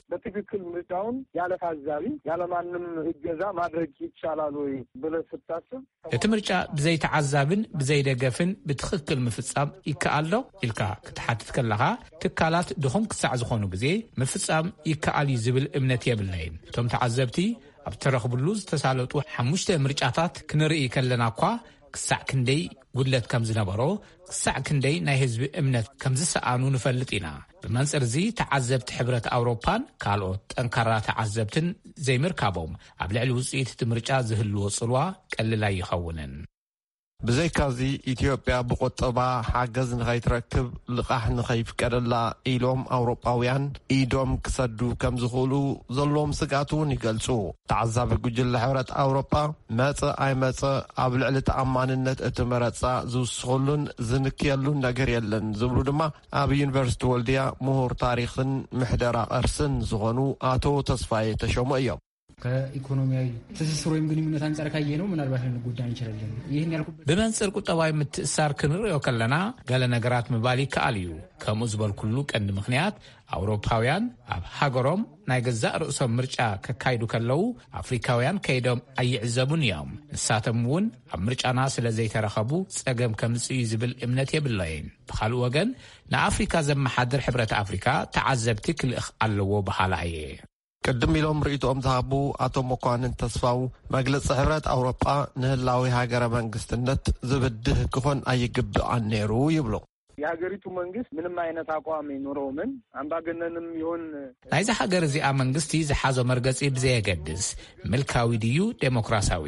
በትክክል ምርጫውን ያለ ታዛቢ፣ ያለ ማንም እገዛ ማድረግ ይቻላል ወይ ብለህ ስታስብ እቲ ምርጫ ብዘይ ተዓዛብን ብዘይ ደገፍን ብትኽክል ምፍጻም ይከኣል ዶ ኢልካ ክትሓትት ከለኻ፣ ትካላት ድኹም ክሳዕ ዝኾኑ ግዜ ምፍጻም ይከኣል እዩ ዝብል እምነት የብለይን። እቶም ተዓዘብቲ ኣብ ተረኽብሉ ዝተሳለጡ ሓሙሽተ ምርጫታት ክንርኢ ከለና እኳ፣ ክሳዕ ክንደይ ጉድለት ከም ዝነበሮ፣ ክሳዕ ክንደይ ናይ ህዝቢ እምነት ከም ዝሰኣኑ ንፈልጥ ኢና። ብመንጽር እዚ ተዓዘብቲ ሕብረት ኣውሮፓን ካልኦት ጠንካራ ተዓዘብትን ዘይምርካቦም ኣብ ልዕሊ ውጽኢት እቲ ምርጫ ዝህልዎ ጽልዋ ቀልል ኣይኸውንን። ብዘይካዚ ኢትዮጵያ ብቁጠባ ሓገዝ ንኸይትረክብ ልቓሕ ንኸይፍቀደላ ኢሎም ኣውሮጳውያን ኢዶም ክሰዱ ከም ዝኽእሉ ዘለዎም ስግኣት እውን ይገልጹ። ተዓዛቢ ጉጅለ ሕብረት ኣውሮጳ መጸ ኣይመጸ ኣብ ልዕሊ ተኣማንነት እቲ መረጻ ዝውስኸሉን ዝንክየሉን ነገር የለን ዝብሉ ድማ ኣብ ዩኒቨርሲቲ ወልድያ ምሁር ታሪኽን ምሕደራ ቅርስን ዝኾኑ ኣቶ ተስፋዬ ተሾመ እዮም። ከኢኮኖሚያዊ ትስስር ወይም ግንኙነት አንጻር ካየነው ምናልባት ልንጎዳ እንችላለን። ይህን ያልኩበት ብመንጽር ቁጠባዊ ምትእሳር ክንርእዮ ከለና፣ ገለ ነገራት ምባል ይከኣል እዩ። ከምኡ ዝበልኩሉ ቀንዲ ምኽንያት፣ ኣውሮፓውያን ኣብ ሃገሮም ናይ ገዛእ ርእሶም ምርጫ ከካይዱ ከለዉ፣ ኣፍሪካውያን ከይዶም ኣይዕዘቡን እዮም። ንሳቶም እውን ኣብ ምርጫና ስለ ዘይተረኸቡ፣ ጸገም ከምጽእ እዩ ዝብል እምነት የብለይን። ብኻልእ ወገን፣ ንኣፍሪካ ዘመሓድር ሕብረት ኣፍሪካ ተዓዘብቲ ክልእኽ ኣለዎ በሃላ እየ። ቅድም ኢሎም ርእይቶኦም ዝሃቡ ኣቶ መኳንን ተስፋው፣ መግለጺ ሕብረት ኣውሮጳ ንህላዊ ሃገረ መንግስትነት ዝብድህ ክኾን ኣይግብኣን ነይሩ ይብሉ። የሀገሪቱ መንግስት ምንም አይነት አቋም ይኑረው ምን፣ አምባገነንም ይሁን ናይዚ ሃገር እዚኣ መንግስቲ ዝሓዞ መርገጺ ብዘየገድስ፣ ምልካዊ ድዩ ዴሞክራሲያዊ፣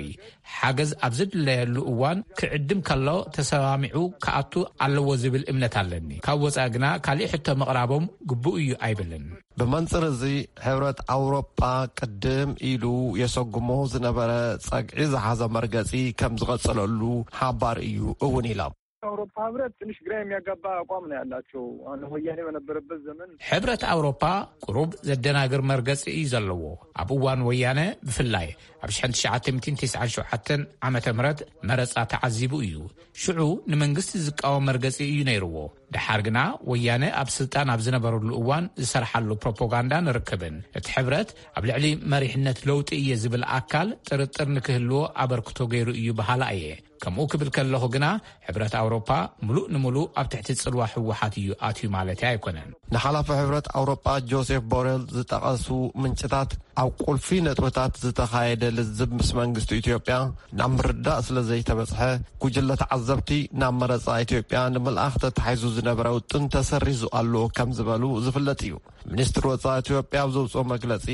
ሓገዝ ኣብ ዝድለየሉ እዋን ክዕድም ከሎ ተሰማሚዑ ክኣቱ ኣለዎ ዝብል እምነት ኣለኒ። ካብ ወጻኢ ግና ካሊእ ሕቶ ምቕራቦም ግቡእ እዩ ኣይብልን። ብመንጽር እዚ፣ ሕብረት ኣውሮጳ ቅድም ኢሉ የሰጉሞ ዝነበረ ጸግዒ ዝሓዘ መርገጺ ከም ዝቐጸለሉ ሓባር እዩ እውን ኢሎም። የአውሮፓ ህብረት ትንሽ ግራ የሚያጋባ አቋም ነው ያላቸው። አሁን ወያኔ በነበረበት ዘመን ሕብረት ኣውሮፓ ቁሩብ ዘደናግር መርገጺ እዩ ዘለዎ። ኣብ እዋን ወያነ ብፍላይ ኣብ ሽሕን ትሽዓተ ሚእትን ተስዓን ሸውዓተን ዓመተ ምህረት መረጻ ተዓዚቡ እዩ። ሽዑ ንመንግስቲ ዝቃወም መርገጺ እዩ ነይርዎ። ደሓር ግና ወያነ ኣብ ስልጣን ኣብ ዝነበረሉ እዋን ዝሰርሓሉ ፕሮፓጋንዳ ንርክብን እቲ ሕብረት ኣብ ልዕሊ መሪሕነት ለውጢ እየ ዝብል ኣካል ጥርጥር ንክህልዎ ኣበርክቶ ገይሩ እዩ በሃላ እየ። ከምኡ ክብል ከለኹ ግና፣ ሕብረት ኣውሮፓ ምሉእ ንምሉእ ኣብ ትሕቲ ጽልዋ ህወሓት እዩ ኣትዩ ማለትያ ኣይኮነን። ንሓላፊ ሕብረት ኣውሮጳ ጆሴፍ ቦሬል ዝጠቐሱ ምንጭታት፣ ኣብ ቁልፊ ነጥብታት ዝተኻየደ ልዝብ ምስ መንግስቲ ኢትዮጵያ ናብ ምርዳእ ስለ ዘይተበጽሐ፣ ጉጅለ ተዓዘብቲ ናብ መረጻ ኢትዮጵያ ንምልኣኽ ተታሒዙ ዝነበረ ውጥን ተሰሪዙ ኣሎ ከም ዝበሉ ዝፍለጥ እዩ። ሚኒስትሪ ወጻኢ ኢትዮጵያ ኣብ ዘውጽኦ መግለጺ፣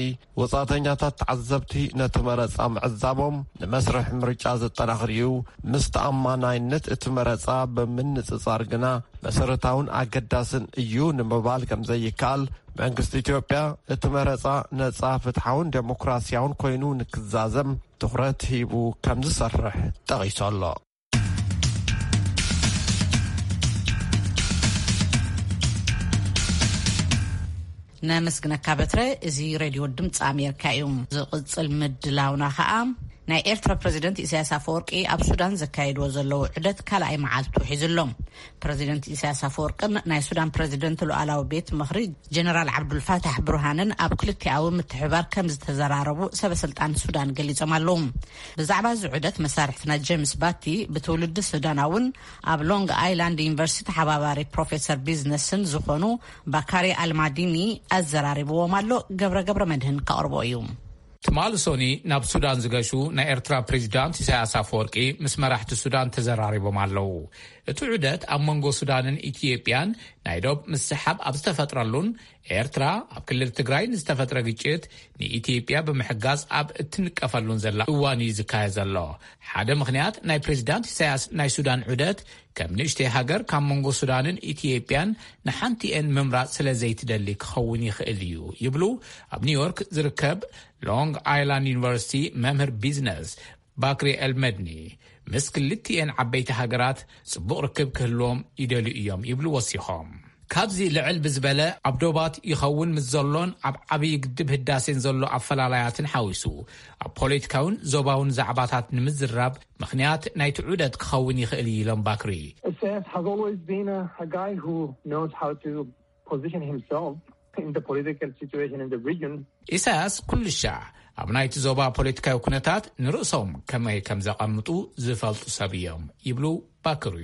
ወጻእተኛታት ተዓዘብቲ ነቲ መረጻ ምዕዛቦም ንመስርሕ ምርጫ ዘጠናኽር እዩ፣ ምስ ተኣማናይነት እቲ መረጻ ብምንጽጻር ግና መሰረታውን ኣገዳስን እዩ ንምባል ከም ዘይከኣል፣ መንግስቲ ኢትዮጵያ እቲ መረጻ ነጻ፣ ፍትሓውን ዴሞክራሲያውን ኮይኑ ንክዛዘም ትኹረት ሂቡ ከም ዝሰርሕ ጠቒሱ ኣሎ። ነመስግነካ በትረ። እዚ ሬድዮ ድምፂ ኣሜሪካ እዩ። ዝቕፅል ምድላውና ከዓ፣ ናይ ኤርትራ ፕረዚደንት ኢሳያስ ኣፈወርቂ ኣብ ሱዳን ዘካየድዎ ዘለዉ ዑደት ካልኣይ መዓልቱ ሒዙ ኣሎ። ፕረዚደንት ኢሳያስ ኣፈወርቅን ናይ ሱዳን ፕረዚደንት ሉዓላዊ ቤት ምኽሪ ጀነራል ዓብዱልፋታሕ ብሩሃንን ኣብ ክልቲኣዊ ምትሕብባር ከም ዝተዘራረቡ ሰበ ስልጣን ሱዳን ገሊጾም ኣለዉ። ብዛዕባ እዚ ዑደት መሳርሕትና ጄምስ ባቲ፣ ብትውልዲ ሱዳናውን ኣብ ሎንግ ኣይላንድ ዩኒቨርሲቲ ተሓባባሪ ፕሮፌሰር ቢዝነስን ዝኾኑ ባካሪ ኣልማዲኒ ኣዘራሪብዎም ኣሎ። ገብረ ገብረ መድህን ከቕርቦ እዩ። ትማሊ ሶኒ ናብ ሱዳን ዝገሹ ናይ ኤርትራ ፕሬዚዳንት ኢሳያስ ኣፈወርቂ ምስ መራሕቲ ሱዳን ተዘራሪቦም ኣለዉ። እቲ ዑደት ኣብ መንጎ ሱዳንን ኢትዮጵያን ናይ ዶብ ምስሓብ ኣብ ዝተፈጥረሉን ኤርትራ ኣብ ክልል ትግራይ ንዝተፈጥረ ግጭት ንኢትዮጵያ ብምሕጋዝ ኣብ እትንቀፈሉን ዘላ እዋን እዩ ዝካየድ ዘሎ። ሓደ ምኽንያት ናይ ፕሬዚዳንት ኢሳያስ ናይ ሱዳን ዑደት ከም ንእሽተይ ሃገር ካብ መንጎ ሱዳንን ኢትዮጵያን ንሓንቲኤን ምምራጽ ስለ ዘይትደሊ ክኸውን ይኽእል እዩ ይብሉ ኣብ ኒውዮርክ ዝርከብ ሎንግ ኣይላንድ ዩኒቨርሲቲ መምህር ቢዝነስ ባክሪ ኤልመድኒ። ምስ ክልቲኤን ዓበይቲ ሃገራት ጽቡቕ ርክብ ክህልዎም ይደልዩ እዮም ይብሉ ወሲኾም። ካብዚ ልዕል ብዝበለ ኣብ ዶባት ይኸውን ምስ ዘሎን ኣብ ዓብዪ ግድብ ህዳሴን ዘሎ ኣፈላላያትን ሓዊሱ ኣብ ፖለቲካውን ዞባውን ዛዕባታት ንምዝራብ ምኽንያት ናይቲ ዑደት ክኸውን ይኽእል እዩ ኢሎም ባክሪ። Isaias has always been a, a guy who knows how to position himself in the political situation in the region. ኢሳያስ ኩሉ ሻዕ ኣብ ናይቲ ዞባ ፖለቲካዊ ኩነታት ንርእሶም ከመይ ከም ዘቐምጡ ዝፈልጡ ሰብ እዮም ይብሉ ባክሪ።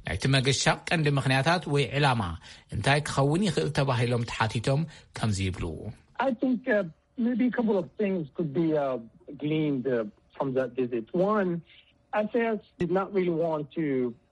ናይቲ መገሻ ቀንዲ ምኽንያታት ወይ ዕላማ እንታይ ክኸውን ይኽእል ተባሂሎም ተሓቲቶም ከምዚ ይብሉ። I think uh, maybe a couple of things could be uh, gleaned uh, from that visit. One, Isaias did not really want to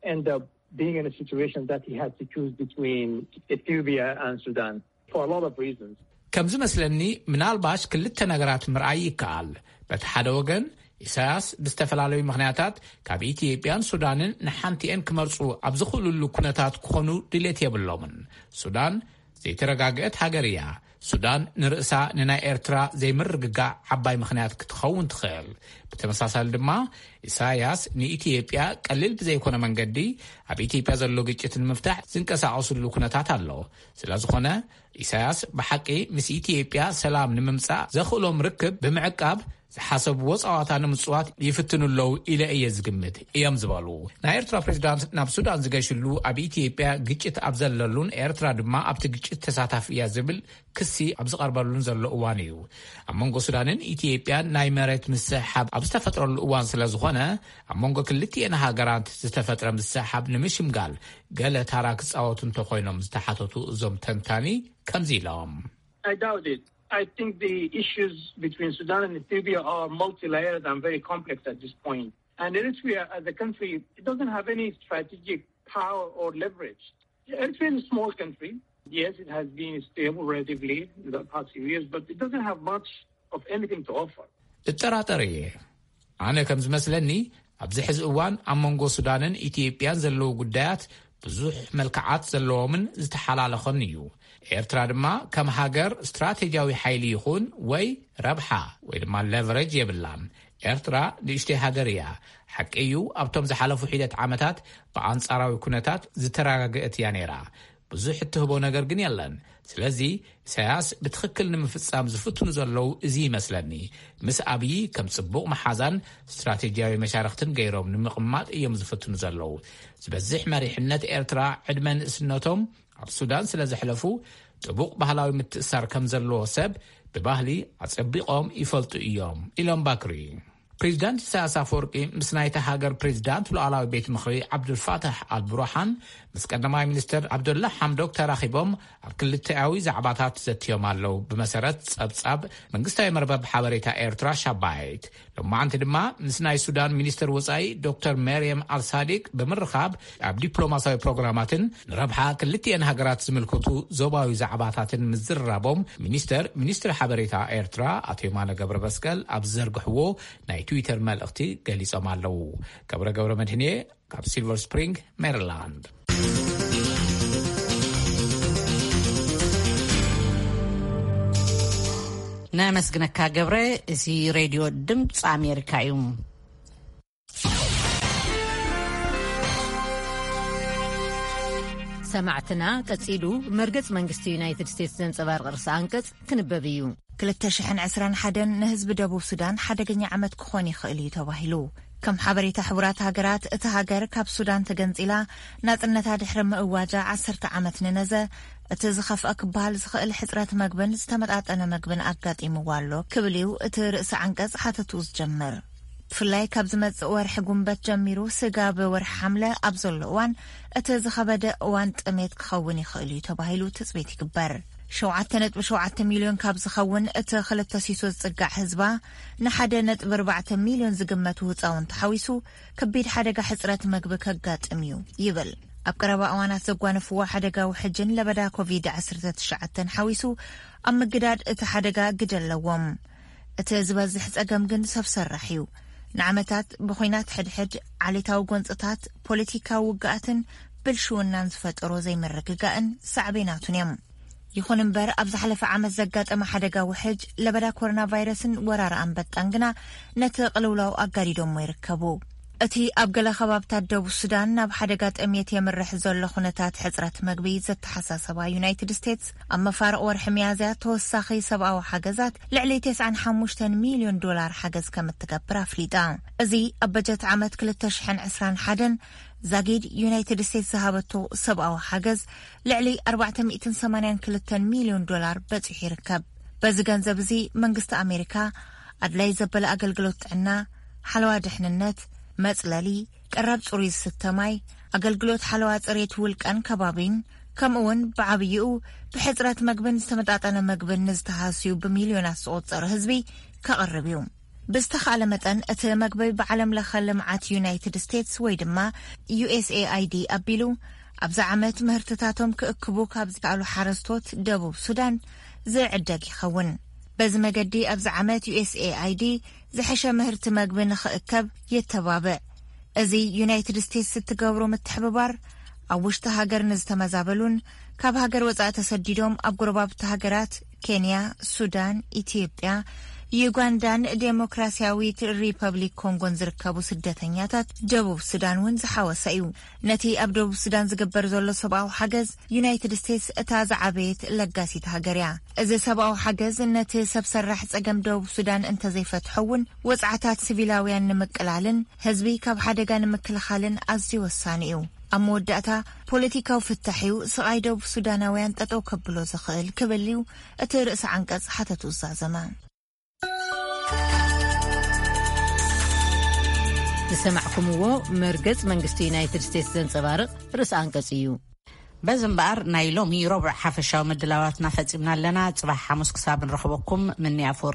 end up being in a situation that he had to choose between Ethiopia and Sudan for a lot of reasons. ከም ዝመስለኒ ምናልባሽ ክልተ ነገራት ምርኣይ ይከኣል። በቲ ሓደ ወገን ኢሳያስ ብዝተፈላለዩ ምኽንያታት ካብ ኢትዮጵያን ሱዳንን ንሓንቲኤን ክመርጹ ኣብ ዝኽእሉሉ ኩነታት ክኾኑ ድሌት የብሎምን። ሱዳን ዘይተረጋግአት ሃገር እያ። ሱዳን ንርእሳ ንናይ ኤርትራ ዘይምርግጋዕ ዓባይ ምኽንያት ክትኸውን ትኽእል። ብተመሳሳሊ ድማ ኢሳያስ ንኢትዮጵያ ቀሊል ብዘይኮነ መንገዲ ኣብ ኢትዮጵያ ዘሎ ግጭት ንምፍታሕ ዝንቀሳቐስሉ ኩነታት ኣሎ። ስለ ዝኾነ ኢሳያስ ብሓቂ ምስ ኢትዮጵያ ሰላም ንምምጻእ ዘኽእሎም ርክብ ብምዕቃብ ዝሓሰብዎ ጸዋታ ንምጽዋት ይፍትኑ ኣለዉ ኢለ እየ ዝግምት እዮም ዝበሉ ናይ ኤርትራ ፕሬዚዳንት። ናብ ሱዳን ዝገሽሉ፣ ኣብ ኢትዮጵያ ግጭት ኣብ ዘለሉን ኤርትራ ድማ ኣብቲ ግጭት ተሳታፊ እያ ዝብል ክሲ ኣብ ዝቐርበሉን ዘሎ እዋን እዩ። ኣብ መንጎ ሱዳንን ኢትዮጵያን ናይ መሬት ምስሕሓብ ኣብ ዝተፈጥረሉ እዋን ስለ ዝኾነ፣ ኣብ መንጎ ክልቲኤን ሃገራት ዝተፈጥረ ምስሕሓብ ንምሽምጋል ገለ ታራ ክጻወቱ እንተኾይኖም ዝተሓተቱ እዞም ተንታኒ ከምዚ ኢሎም። I doubt it. I think the issues between Sudan and Ethiopia are multi-layered and very complex at this point. And Eritrea, as a country, it doesn't have any strategic power or leverage. Eritrea is a small country. Yes, it has been stable relatively in the past few years, but it doesn't have much of anything to offer. እጠራጠር እየ። ኣነ ከም ዝመስለኒ፣ ኣብዚ ሕዚ እዋን ኣብ መንጎ ሱዳንን ኢትዮጵያን ዘለዉ ጉዳያት ብዙሕ መልክዓት ዘለዎምን ዝተሓላለኸን እዩ። ኤርትራ ድማ ከም ሃገር ስትራቴጂያዊ ሓይሊ ይኹን ወይ ረብሓ ወይ ድማ ለቨረጅ የብላን። ኤርትራ ንእሽተይ ሃገር እያ። ሓቂ እዩ፣ ኣብቶም ዝሓለፉ ሒደት ዓመታት ብኣንጻራዊ ኩነታት ዝተረጋገአት እያ ነይራ። ብዙሕ እትህቦ ነገር ግን የለን። ስለዚ ኢሳያስ ብትኽክል ንምፍጻም ዝፍትኑ ዘለዉ እዚ ይመስለኒ። ምስ ኣብዪ ከም ጽቡቕ መሓዛን ስትራቴጂያዊ መሻርኽትን ገይሮም ንምቕማጥ እዮም ዝፍትኑ ዘለዉ። ዝበዝሕ መሪሕነት ኤርትራ ዕድመ ንእስነቶም ኣብ ሱዳን ስለ ዘሕለፉ፣ ጥቡቕ ባህላዊ ምትእሳር ከም ዘለዎ ሰብ ብባህሊ ኣጸቢቖም ይፈልጡ እዮም ኢሎም ባክሪ። ፕሬዚዳንት ኢሳያስ ኣፈወርቂ ምስ ናይታ ሃገር ፕሬዚዳንት ሉዓላዊ ቤት ምኽሪ ዓብዱልፋታሕ ኣልብሩሓን ምስ ቀዳማይ ሚኒስትር ዓብደላ ሓምዶክ ተራኺቦም ኣብ ክልተኣዊ ዛዕባታት ዘትዮም ኣለዉ። ብመሰረት ጸብጻብ መንግስታዊ መርበብ ሓበሬታ ኤርትራ ሻባይት፣ ሎማዓንቲ ድማ ምስ ናይ ሱዳን ሚኒስትር ወጻኢ ዶክተር መርየም ኣልሳዲቅ ብምርኻብ ኣብ ዲፕሎማሲያዊ ፕሮግራማትን ንረብሓ ክልቲኤን ሃገራት ዝምልከቱ ዞባዊ ዛዕባታትን ምዝርራቦም ሚኒስተር ሚኒስትሪ ሓበሬታ ኤርትራ ኣቶ የማነ ገብረ መስቀል ኣብ ዝዘርግሕዎ ናይ ትዊተር መልእኽቲ ገሊጾም ኣለዉ። ገብረ ገብረ መድህንየ ካብ ሲልቨር ስፕሪንግ ሜሪላንድ። ነመስግነካ ገብረ። እዚ ሬድዮ ድምፂ ኣሜሪካ እዩ። ሰማዕትና፣ ቀጺሉ መርገጽ መንግስቲ ዩናይትድ ስቴትስ ዘንጸባርቕ ርእሰ ኣንቀጽ ክንበብ እዩ። ክልተ ሽሕን ዕስራን ሓደን ንህዝቢ ደቡብ ሱዳን ሓደገኛ ዓመት ክኾን ይኽእል እዩ ተባሂሉ። ከም ሓበሬታ ሕቡራት ሃገራት፣ እታ ሃገር ካብ ሱዳን ተገንጺላ ናጽነታ ድሕሪ ምእዋጃ ዓሰርተ ዓመት ንነዘ፣ እቲ ዝኸፍአ ክበሃል ዝኽእል ሕጽረት መግብን ዝተመጣጠነ መግብን ኣጋጢምዋ ኣሎ ክብል እዩ እቲ ርእሰ ዓንቀጽ ሓተቱ ዝጀምር። ብፍላይ ካብ ዝመጽእ ወርሒ ጉንበት ጀሚሩ ስጋብ ወርሒ ሓምለ ኣብ ዘሎ እዋን፣ እቲ ዝኸበደ እዋን ጥሜት ክኸውን ይኽእል እዩ ተባሂሉ ትጽቢት ይግበር። ሸውዓተ ነጥቢ ሸውዓተ ሚልዮን ካብ ዝኸውን እቲ ክልተ ሲሶ ዝጽጋዕ ህዝባ፣ ንሓደ ነጥቢ ኣርባዕተ ሚልዮን ዝግመቱ ህጻውንቲ ሓዊሱ፣ ከቢድ ሓደጋ ሕጽረት መግቢ ከጋጥም እዩ ይብል። ኣብ ቀረባ እዋናት ዘጓነፍዎ ሓደጋ ውሕጅን ለበዳ ኮቪድ ዓሰርተ ትሽዓተ ሓዊሱ፣ ኣብ ምግዳድ እቲ ሓደጋ ግደ ኣለዎም። እቲ ዝበዝሕ ጸገም ግን ሰብ ሰራሕ እዩ። ንዓመታት ብኹናት ሕድሕድ፣ ዓሌታዊ ጎንጽታት፣ ፖለቲካዊ ውግኣትን ብልሽውናን ዝፈጠሮ ዘይምርግጋእን ሳዕቤናቱን እዮም። ይኹን እምበር፣ ኣብ ዝሓለፈ ዓመት ዘጋጠመ ሓደጋ ውሕጅ፣ ለበዳ ኮሮና ቫይረስን ወራር ኣንበጣን ግና ነቲ ቅልውላው ኣጋዲዶሞ ይርከቡ። እቲ ኣብ ገለ ከባብታት ደቡብ ሱዳን ናብ ሓደጋ ጥሜት የምርሕ ዘሎ ኩነታት ሕጽረት መግቢ ዘተሓሳሰባ ዩናይትድ ስቴትስ፣ ኣብ መፋርቕ ወርሒ ሚያዝያ ተወሳኺ ሰብኣዊ ሓገዛት ልዕሊ ተስዓን ሓሙሽተን ሚልዮን ዶላር ሓገዝ ከም እትገብር ኣፍሊጣ። እዚ ኣብ በጀት ዓመት ክልተ ሽሕን ዕስራን ሓደን ዛጊድ ዩናይትድ ስቴትስ ዝሃበቶ ሰብኣዊ ሓገዝ ልዕሊ ኣርባዕተ ሚእትን ሰማንያን ክልተን ሚልዮን ዶላር በጺሑ ይርከብ። በዚ ገንዘብ እዚ መንግስቲ ኣሜሪካ ኣድላይ ዘበለ ኣገልግሎት ጥዕና፣ ሓለዋ ድሕንነት፣ መጽለሊ፣ ቀረብ ጽሩይ ዝስተ ማይ፣ ኣገልግሎት ሓለዋ ጽሬት ውልቀን ከባቢን፣ ከምኡውን ብዓብይኡ ብሕጽረት መግብን ዝተመጣጠነ መግብን ንዝተሃስዩ ብሚልዮናት ዝቑጸሩ ህዝቢ ከቕርብ እዩ። ብዝተኻእለ መጠን እቲ መግቢ ብዓለም ለኸ ልምዓት ዩናይትድ ስቴትስ ወይ ድማ ዩ ኤስ ኤ ኣይ ዲ ኣቢሉ ኣብዚ ዓመት ምህርትታቶም ክእክቡ ካብ ዝከኣሉ ሓረስቶት ደቡብ ሱዳን ዝዕደግ ይኸውን። በዚ መገዲ ኣብዚ ዓመት ዩ ኤስ ኤ ኣይ ዲ ዝሐሸ ምህርቲ መግቢ ንኽእከብ የተባብዕ። እዚ ዩናይትድ ስቴትስ እትገብሮ ምትሕብባር ኣብ ውሽጢ ሃገር ንዝተመዛበሉን ካብ ሃገር ወጻኢ ተሰዲዶም ኣብ ጎረባብቲ ሃገራት ኬንያ፣ ሱዳን፣ ኢትዮጵያ፣ ዩጋንዳን ዴሞክራሲያዊት ሪፐብሊክ ኮንጎን ዝርከቡ ስደተኛታት ደቡብ ሱዳን እውን ዝሓወሰ እዩ። ነቲ ኣብ ደቡብ ሱዳን ዝግበር ዘሎ ሰብኣዊ ሓገዝ ዩናይትድ ስቴትስ እታ ዝዓበየት ለጋሲት ሃገር እያ። እዚ ሰብኣዊ ሓገዝ ነቲ ሰብ ሰራሕ ጸገም ደቡብ ሱዳን እንተዘይፈትሖ እውን፣ ወጽዓታት ሲቪላውያን ንምቅላልን ህዝቢ ካብ ሓደጋ ንምክልኻልን ኣዝዩ ወሳኒ እዩ። ኣብ መወዳእታ፣ ፖለቲካዊ ፍታሕ እዩ ስቓይ ደቡብ ሱዳናውያን ጠጠው ከብሎ ዝኽእል ክብል እዩ እቲ ርእሰ ዓንቀጽ ሓተቱ ዝዛዘመ። ዝሰማዕኩምዎ መርገጽ መንግስቲ ዩናይትድ ስቴትስ ዘንጸባርቕ ርእሰ ኣንቀጽ እዩ። በዚ እምበኣር፣ ናይ ሎሚ ረቡዕ ሓፈሻዊ ምድላዋትና ፈጺምና ኣለና። ጽባሕ ሓሙስ ክሳብ ንረኽበኩም፣ ምኒ ኣፈወርቂ